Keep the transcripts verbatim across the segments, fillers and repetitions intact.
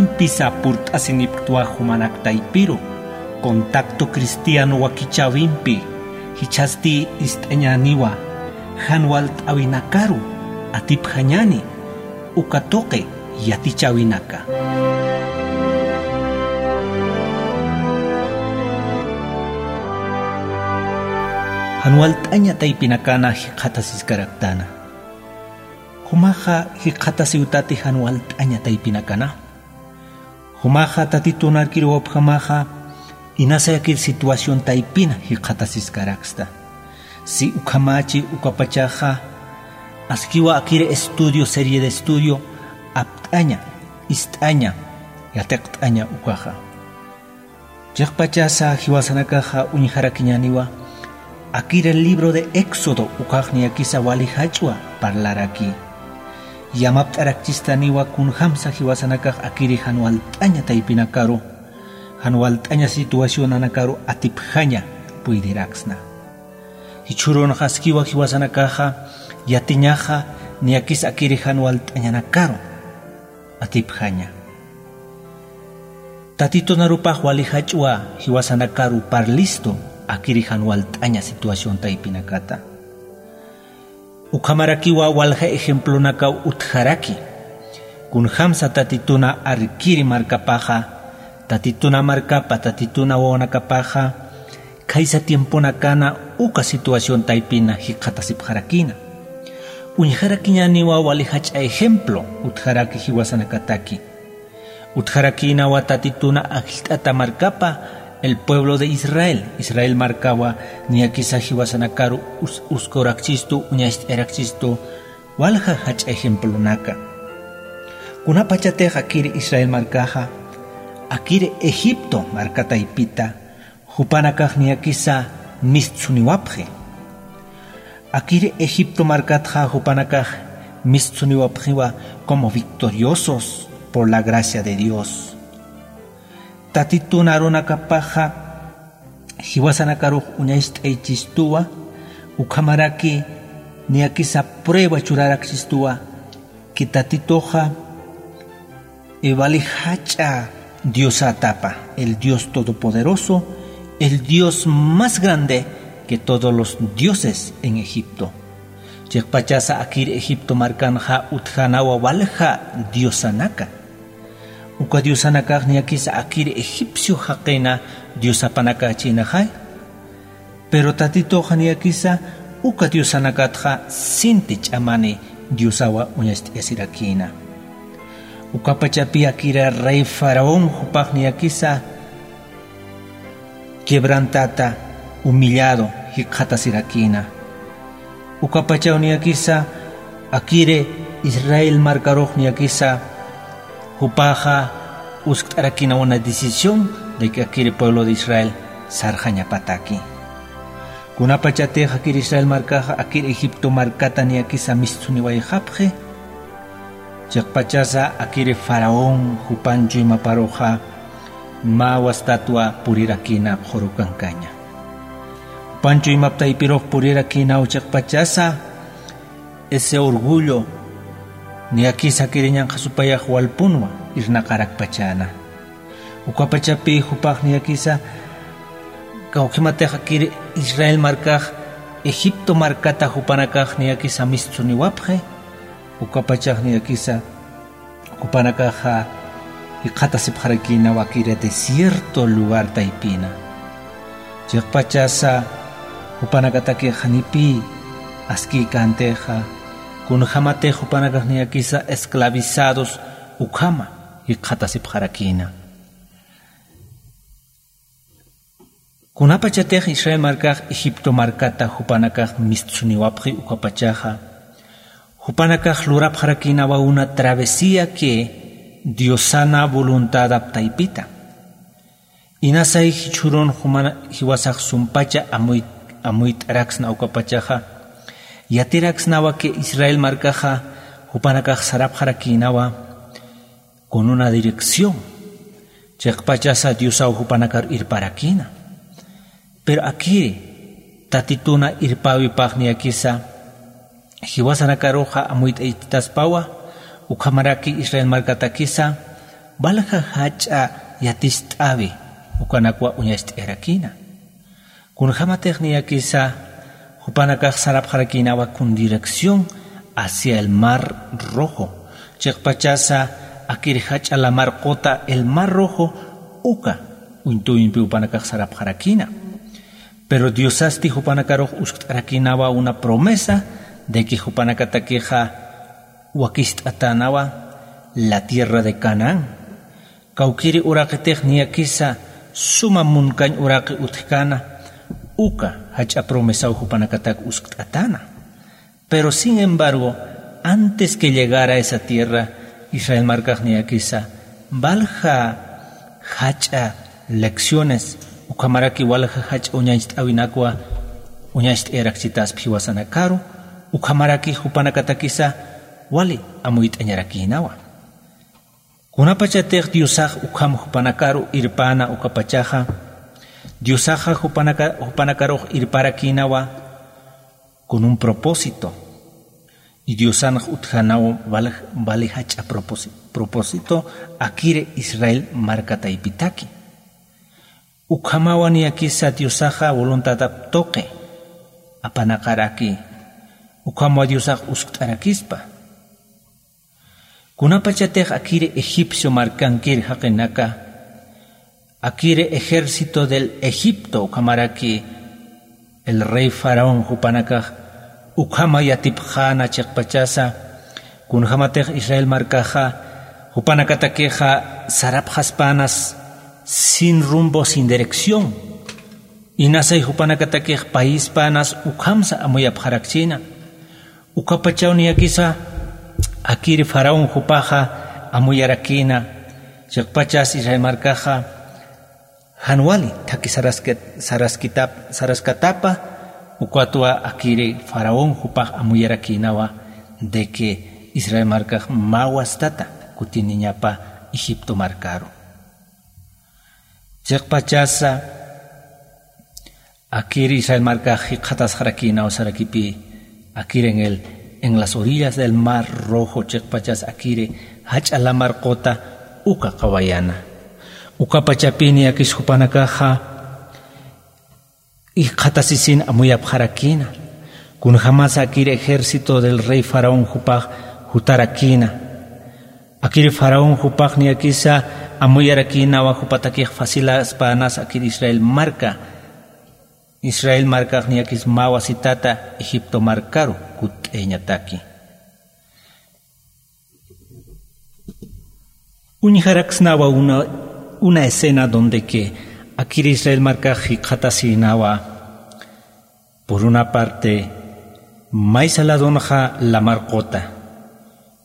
Pisa purt'asinipktwa jumanak taypiru, contacto cristiano wakichäwimpi, jichhasti ist'añäniwa, jan walt'äwinakaru atipjañäni, uka tuqi yatichäwinaka. Jan walt'aña taypinakana jikxatasiskaraktana. Jumaxa jikxatasiwtati jan walt'aña taypinakana. Jumaxa Tatitun arkiruwapjamaxa inasayakir situación taypina jikxatasiskaraksta. Si ukhamächi ukapachaxa askiwa akir estudio, serie de estudio apt'aña, ist'aña, yatiqt'aña ukaxa. Chiqpachasa jiwasanakaxa uñjarakiñäniwa, akir el libro de Éxodo ukax niyakisa wali jach'a parlaraki. Yamapt'arakchistaniwa kunjamsa jiwasanakax akiri jan walt'aña taypinakaru, jan walt'aña situacionanakaru atipjaña puydiraksna. Jichhürunxa askiwa jiwasanakaxa yatiñaxa niyakisa akiri jan walt'añanakaru atipjaña. Tatitun arupax wali jach'a jiwasanakaru parlistu akiri jan walt'aña situación taypinakata. Ukhamarakiwa walja ejemplonakaw utjaraki. Kunjamsa Tatituna arkiri markapaxa, Tatituna markapa, Tatituna wawanakapaxa, khaysa tiemponakana uka situación taypina jikxatasipxarakïna. Uñjarakiñäniwa wali jach'a ejemplo utjaraki jiwasanakataki. Utjarakïnawa Tatituna ajllt'ata markapa, el pueblo de Israel, Israel markawa niyakisa jiwasanakaru us-, uskawrakchistu, uñacht'ayrakchistu, walja jach'a ejemplonaka. Kunapachatix akiri Israel markaxa, akiri Egipto marka taypita, jupanakax niyakisa mistsuniwapxi. Akiri Egipto markatxa jupanakax mistsuniwapxiwa como victoriosos por la gracia de Dios. Tatitun arunakapaxa jiwasanakarux uñacht'aychistuwa, ukhamaraki niyakisa prueba churarakchistuwa, que Tatituxa, eh, wali jach'a Diosatapa, el Dios todopoderoso, el Dios más grande que todos los dioses en Egipto. Chiqpachasa akir Egipto markanxa utjänawa walja diosanaka. Uka diosanakax niyakisa akir egipcio jaqina diosapanakachïnaxay. Pero Tatituxa niyakisa uka diosanakatxa sinti ch'amani diosawa uñacht'ayasirakïna. Ukapachapi akiri rey Faraón jupax niyakisa quebrantata, humillado, jikxatasirakïna. Ukapachaw niyakisa akiri Israel markarux niyakisa jupaxa uskt'arakïna una decisión de que akiri pueblo de Israel sarxañapataki. Kunapachatix akiri Israel markaxa akiri Egipto markata niyakisa mistsuniwayxapxi, chiqpachasa akiri Faraón jupanchu imaparuxa mä wastatwa purirakïna qhuru kankaña. Jupanchu imap taypirux purirakïnaw chiqpachasa, ese orgullo niyakisa akiri ñanqha supayax walpunwa irnaqarakpachäna. Ukapachapi jupax niyakisa, kawkhimatix akiri Israel markax Egipto markata jupanakax niyakisa mistsuniwapxi, ukapachax niyakisa jupanakaxa jikxatasipxarakïnawa akiri desierto lugar taypina. Chiqpachasa jupanakatakix janipï askïkäntixa, kunjämatix jupanakax niyakisa esclavizados ukhama jikxatasipxarakïna. Kunapachatix Israel markax Egipto markata jupanakax mistsuniwapxi ukapachaxa, jupanakax lurapxarakïnawa una travesía que Diosana voluntadap taypita. Inasay jichhürun jumana-, jiwasax sumpacha amuy-, amuyt'araksna ukapachaxa, yatiraksnawa que Israel markaxa jupanakax sarapxarakïnawa con una dirección. Chiqpachasa Diosaw jupanakar irparakïna. Pero akiri, Tatituna irpäwipax niyakisa, jiwasanakaruxa amuyt'aychitaspawa, ukhamaraki Israel markatakisa, Walja jach'a yatist'awi ukanakwa uñacht'ayarakïna. Kunjämatix niyakisa jupanakax sarapxarakïnawa con dirección hacia el Mar Rojo, chiqpachasa akir jach'a lamar quta el Mar Rojo, uka uñt'uwimpi jupanakax sarapxarakïna. Pero Diosasti jupanakarux uskt'arakïnawa una promesa de que jupanakatakixa wakist'atänawa la tierra de Canaán. Kawkïri uraqitix niyakisa suma munkañ uraqi utjkäna, uka jach'a promesaw jupanakatak uskt'atäna. Pero sin embargo, antes que llegara a esa tierra, Israel markax niyakisa walja jach'a lecciones ukhamaraki walja jach'a uñacht'äwinakwa uñacht'ayarakchitaspa jiwasanakaru, ukhamaraki jupanakatakisa wali amuyt'añarakïnawa. Kunapachatix Diosax ukham jupanakaru irpäna ukapachaxa, Diosaxa jupanaka-, jupanakarux irparakïnawa con un propósito. Y Diosanx utjänaw wal-, wali jach'a propósi-, propósito akiri Israel marka taypitaki. Ukhamawa niyakisa Diosaxa voluntadap tuqi apanaqaraki. Ukhamawa Diosax uskt'arakispa. Kunapachatix akiri egipcio markankir jaqinaka, akiri ejército del Egipto, ukhamaraki el rey faraón jupanakax ukhama yatipxäna chiqpachasa, kunjämatix Israel markaxa jupanakatakixa sarapxaspänas sin rumbo, sin dirección. Inasay jupanakatakix paispänas ukhamsa amuyapxarakchïna. Ukapachaw niyakisa akiri faraón jupaxa amuyarakïna, chiqpachas Israel markaxa jan wali thakhi sarasket-, saraskitap-, saraskatapa, ukatwa akiri faraón jupax amuyarakïnawa de que Israel markax mä wastata kutiniñapa Egipto markaru. Chiqpachasa akiri Israel markax jikxatasxarakïnaw sarakipï, akiri en el, en las orillas del Mar Rojo, chiqpachas akiri jach'a lamar quta uka qawayana. Ukapachapï niyakis jupanakaxa jikxatasisin amuyapxarakïna. Kunjämasa akiri ejército del rey faraón jupax jutarakïna. Akiri faraón jupax niyakisa amuyarakïnawa jupatakix facilaspänas akiri Israel marka, Israel markax niyakis mä wasitata Egipto markaru kutt'ayañataki. Uñjaraksnawa una, una escena donde que akiri Israel markax jikxatasïnawa, por una parte, maysa ladonxa lamar quta,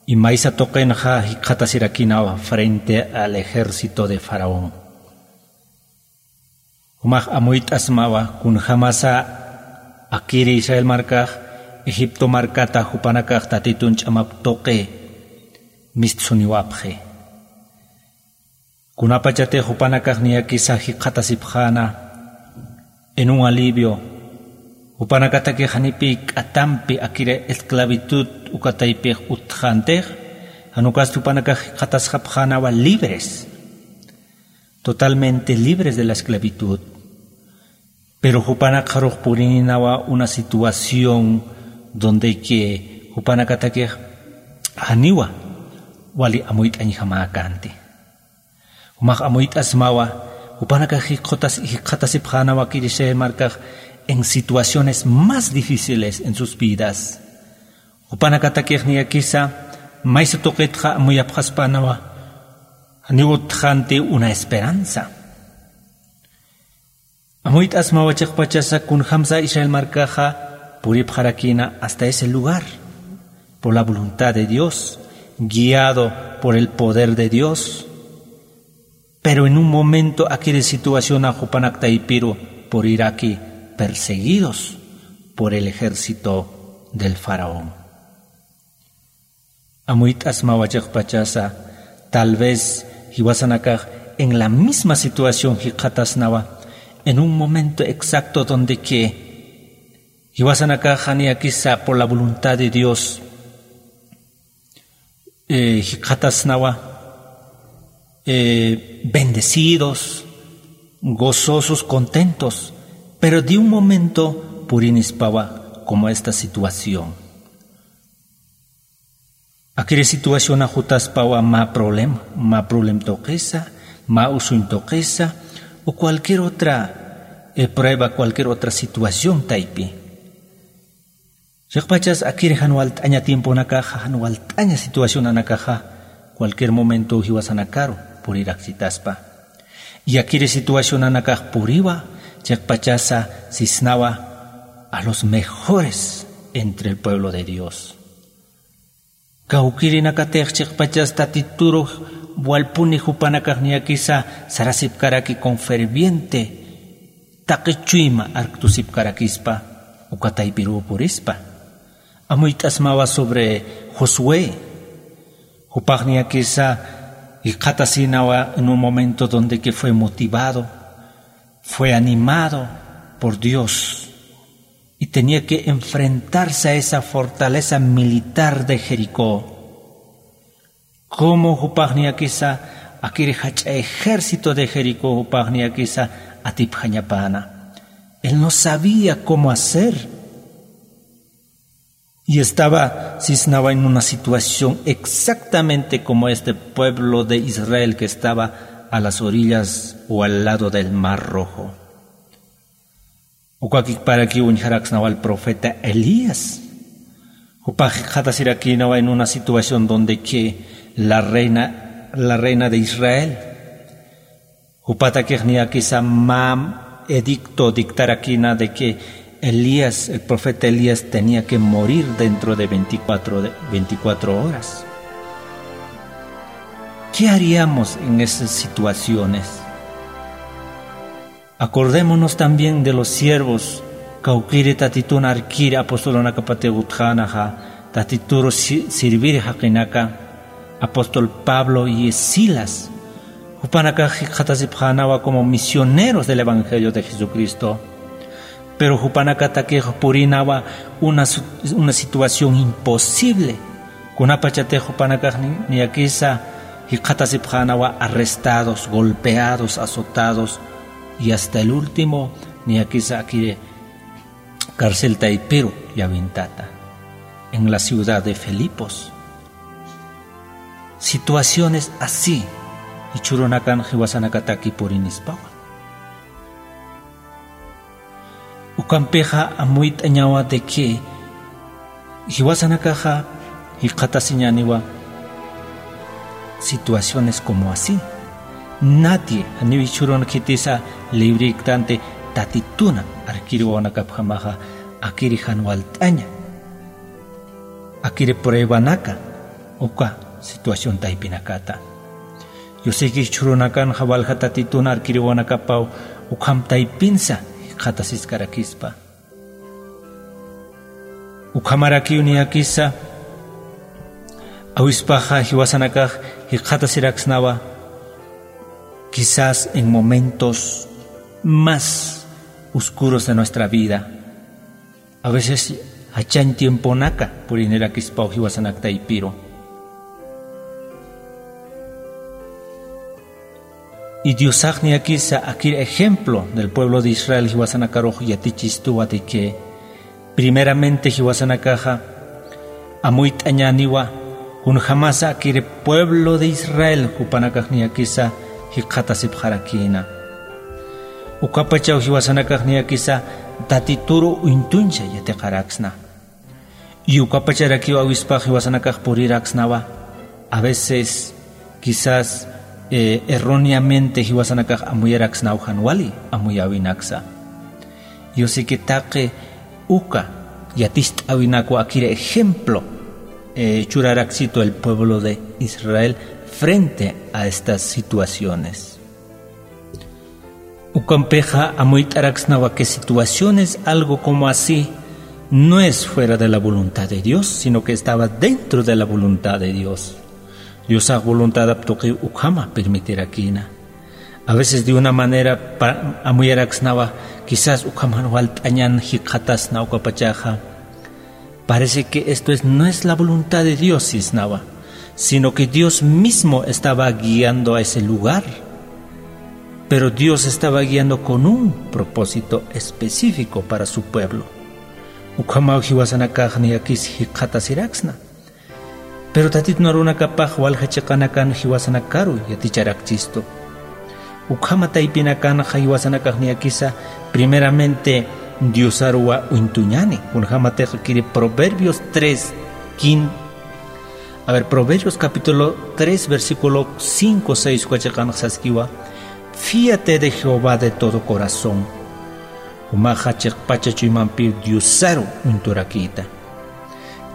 y maysa tuqinxa jikxatasirakïnawa frente al ejército de faraón. Jumax amuyt'asmawa kunjämasa akiri Israel markax Egipto markata jupanakax Tatitun ch'amap tuqi mistsuniwapxi. Kunapachatix jupanakax niyakisa jikxatasipxäna en un alivio, jupanakatakix janipï k'atampi akiri esclavitud uka taypix utjxäntix, jan ukasti jupanakax jikxatasxapxänawa libres, totalmente libres de la esclavitud. Pero jupanakxarux purininawa una situación donde que jupanakatakix janiwa wali amuyt'añjamäkänti. Jumax amuyt'asmawa, jupanakax jikxatas-, jikxatasipxänawa akiri Israel markax en situaciones más difíciles en sus vidas. Jupanakatakix niyakisa maysa tuqitxa amuyapxaspänawa, janiw utjxänti una esperanza. Amuyt'asmawa chiqpachasa kunjämsa Israel markaxa puripxarakïna hasta ese lugar, por la voluntad de Dios, guiado por el poder de Dios. Pero en un momento akiri situacionax jupanak taypiru puriraki perseguidos por el ejército del faraón. Amuyt'asmawa chiqpachasa, tal vez jiwasanakax en la misma situación jikxatasnawa, en un momento exacto donde que jiwasanakax niyakisa por la voluntad de Dios, eh, jikxatasnawa, eh, bendecidos, gozosos, contentos, pero de un momento purinispawa como esta situación. Akiri situación ajutaspawa mä problema, mä problem tuqisa, mä usuñ tuqisa, o cualquier otra, eh, prueba, cualquier otra situación taypi. Chiqpachas akiri jan walt'aña tiemponakaxa, jan walt'aña situacionanakaxa, cualquier momento jiwasanakaru puriraksitaspa. Y akiri situacionanakax puriwa, chiqpachasa sisnawa a los mejores entre el pueblo de Dios. Kawkirinakatix chiqpachas Tatituru walpuni jupanakax niyakisa sarasipkaraki con ferviente, taqi chuyma arktusipkarakispa, uka taypiruw purispa. Amuyt'asmawa sobre Josué. Jupax niyakisa jikxatasinawa en un momento donde que fue motivado, fue animado por Dios. Y tenía que enfrentarse a esa fortaleza militar de Jericó. Como jupax niyakisa akiri jach'a ejército de Jericó jupax niyakisa atipjañapäna. Él no sabía cómo hacer. Y estaba sisnawa en una situación exactamente como este pueblo de Israel que estaba a las orillas o al lado del Mar Rojo. Ukakiparakiw uñjaraksnawa al profeta Elías. Jupax jikxatasirakïnawa en una situación donde que la reina, la reina de Israel, jupatakix niyakisa mä edicto dictarakïna de que Elías, el profeta Elías tenía que morir dentro de veinticuatro, de veinticuatro horas. ¿Qué haríamos en esas situaciones? Acordémonos también de los siervos, kawkiri Tatitun arkiri apostolunakapatix utjänaxa, Tatituru si-, sirviri jaqinaka, apóstol Pablo y Silas. Jupanakax jikxatasipxänawa como misioneros del Evangelio de Jesucristo. Pero jupanakatakix purïnawa una su-, una situación imposible. Kunapachatix jupanakax ni-, niyakisa jikxatasipxänawa arrestados, golpeados, azotados, y hasta el último niyakisa akiri carcel taypiru llawintata, en la ciudad de Filipos. Situaciones así, jichhürunakan jiwasanakataki purinispawa. Ukampixa amuyt'añawa de que jiwasanakaxa jikxatasiñäniwa situaciones como así. Nadie, janiw jichhürun khitisa librïktanti Tatituna arkiri wawanakapjamaxa akiri jan walt'aña. Akiri pruebanaka uka situación taypinakata. Yo sé que jichhürunakanxa walja Tatitun arkiri wawanakapaw ukham taypinsa jikxatasiskarakispa. Ukhamarakiw niyakisa awispaxa jiwasanakax jikxatasiraksnawa, quizás en momentos más oscuros de nuestra vida. A veces jachañ tiemponaka purinirakispaw jiwasanak taypiru. Y Diosax niyakisa akir ejemplo del pueblo de Israel jiwasanakarux yatichistuwa de que primeramente jiwasanakaxa amuyt'añäniwa kunjamasa akir pueblo de Israel jupanakax niyakisa jikxatasipxarakïna. Ukapachaw jiwasanakax niyakisa Tatituru uñtuncha yatiqaraksna. Y ukapacharakiw awispax jiwasanakax puriraksnawa. A veces, quizás, eh, erróneamente jiwasanakax amuyaraksnaw jan wali amuyäwinaksa. Yo sé que taqi uka yatist'äwinakwa akir ejemplo, eh, churaraksitu el pueblo de Israel frente a estas situaciones. Ukampixa amuyt'araksnawa que situaciones algo como así no es fuera de la voluntad de Dios, sino que estaba dentro de la voluntad de Dios. Diosax voluntadap tuqiw ukhama permitirakïna. A veces de una manera pa-, amuyaraksnawa, quizás ukham jan walt'añan jikxatasna ukapachaxa. Parece que esto es, no es la voluntad de Dios, sisnawa. sino que Dios mismo estaba guiando a ese lugar. Pero Dios estaba guiando con un propósito específico para su pueblo. Ukhamaw jiwasanakax niyakis jikxatasiraksna. Pero Tatitun arunakapax walja chiqanakan jiwasanakaru yaticharakchistu. Ukhama taypinakanxa jiwasanakax niyakisa primeramente Diosaruwa uñtuñani. Kunjamatix kiri Proverbios tres, quin-, a ver, Proverbios capítulo tres, versículo cinco, seis uka chiqanxa saskiwa: "Fíate de Jehová de todo corazón". Jumaxa chiqpacha chuymampiw Diosaru uñturakïta.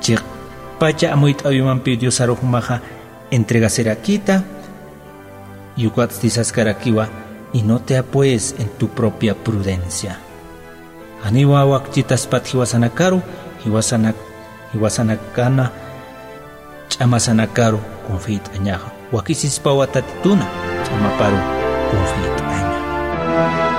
Chiqpacha amuyt'äwimampiw Diosaru jumaxa entregasirakïta, y ukatsti saskarakiwa: "Y no te apoyes en tu propia prudencia". Janiwa wakchitaspat jiwasanakaru, jiwasanak-, jiwasanakana ch'amasanakaru kunfiyt'añaxa. Wakisispawa Tatituna ch'amaparu kunfiyt'aña.